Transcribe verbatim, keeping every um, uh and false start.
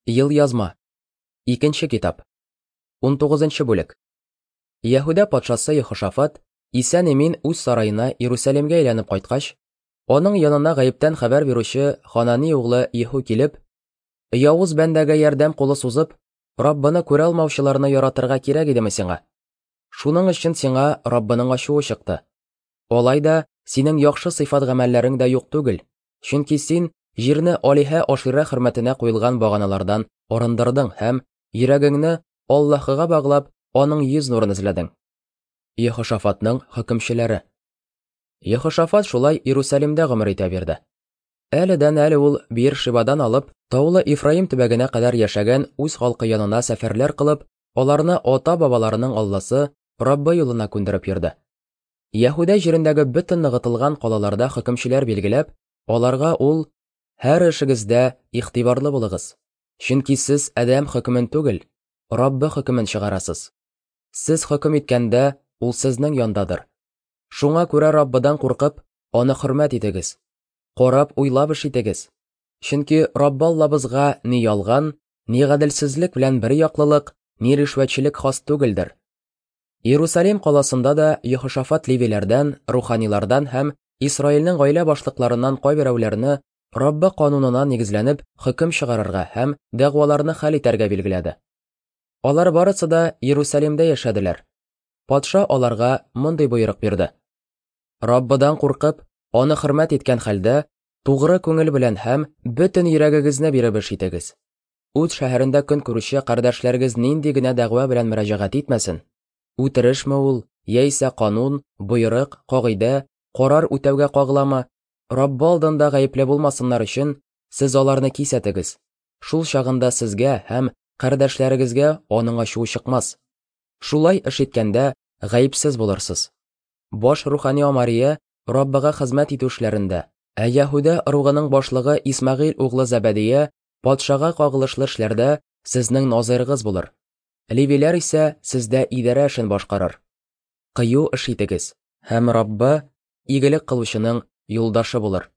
Елъязма. Икенче китап. Унтугызынчы бүлек. Яһүдә патшасы Ехошафат исән-имин үз сараена Иерусалимгә әйләнеп кайткач, аның янына гаептән хәбәр бирүче Ханани углы Еху килеп, «Явыз бәндәгә ярдәм кулы сузып, Раббыны күрә алмаучыларны яратырга кирәк идеме сиңа? Шуның өчен сиңа Раббының ачуы чыкты. Алай да синең яхшы сыйфат гамәлләрең дә юк түгел, чөнки син җирне алиһә Аширә хөрмәтенә куелган баганалардан арындырдың һәм йөрәгеңне Аллаһыга баглап, аның йөз нурын эзләдең». Ехошафатның хөкемчеләре. Ехошафат шулай Иерусалимдә гомер итә бирде. Әледән әле ул Бир-Шибадан алып, таулы Ифраим төбәгенә кадәр яшәгән үз халкы янына сәфәрләр кылып, аларны ата-бабаларының Алласы Раббы юлына күндереп йөрде. Яһүдә җирендәге бөтен ныгытылган калаларда хөкемчеләр билгеләп, аларга ул: «Һәр эшегездә игътибарлы булыгыз, чөнки сез адәм хөкемен түгел, Раббы хөкемен чыгарасыз. Сез хөкем иткәндә, ул сезнең яндадыр. Шуңа күрә Раббыдан куркып, аны хөрмәт итегез. Карап уйлап эш итегез. Чөнки Раббы Аллабызга ни ялган, ни гаделсезлек белән бер яклылык, ни ришвәтчелек хас түгелдер». Иерусалим каласында да Ехошафат левиләрдән, руханилардан һәм Исраилнең гаилә башлыкларыннан кайберәүләрне Раббы канунына нигезләнеп хөкем чыгарырга һәм дәгъваларны хәл итәргә билгеләде. Алар барысы да Иерусалимдә яшәделәр. Патша аларга мондый боерык бирде: «Раббыдан куркып, аны хөрмәт иткән хәлдә, тугры күңел белән һәм бөтен йөрәгегезне биреп эш итегез. Үз шәһәрендә көн күрүче кардәшләрегез нинди генә дәгъва белән мөрәҗәгать итмәсен, үтерешме ул, яисә канун, боерык, кагыйдә, карар үтәүгә кагыламы, Раббы алдында гаепле булмасыннар өчен сез аларны кисәтегез. Шул чагында сезгә һәм кардәшләрегезгә аның ачуы чыкмас. Шулай эш иткәндә гаепсез булырсыз. Баш рухани Амария Раббыга хезмәт итү эшләрендә, ә Яһүдә ыругының башлыгы Исмәгыйль углы Зәбәдия патшага кагылышлы эшләрдә сезнең назыйрыгыз булыр. Левиләр исә сездә идарә эшен башкарыр. Кыю эш итегез, һәм Раббы игелек кылучының юлдашы булыр».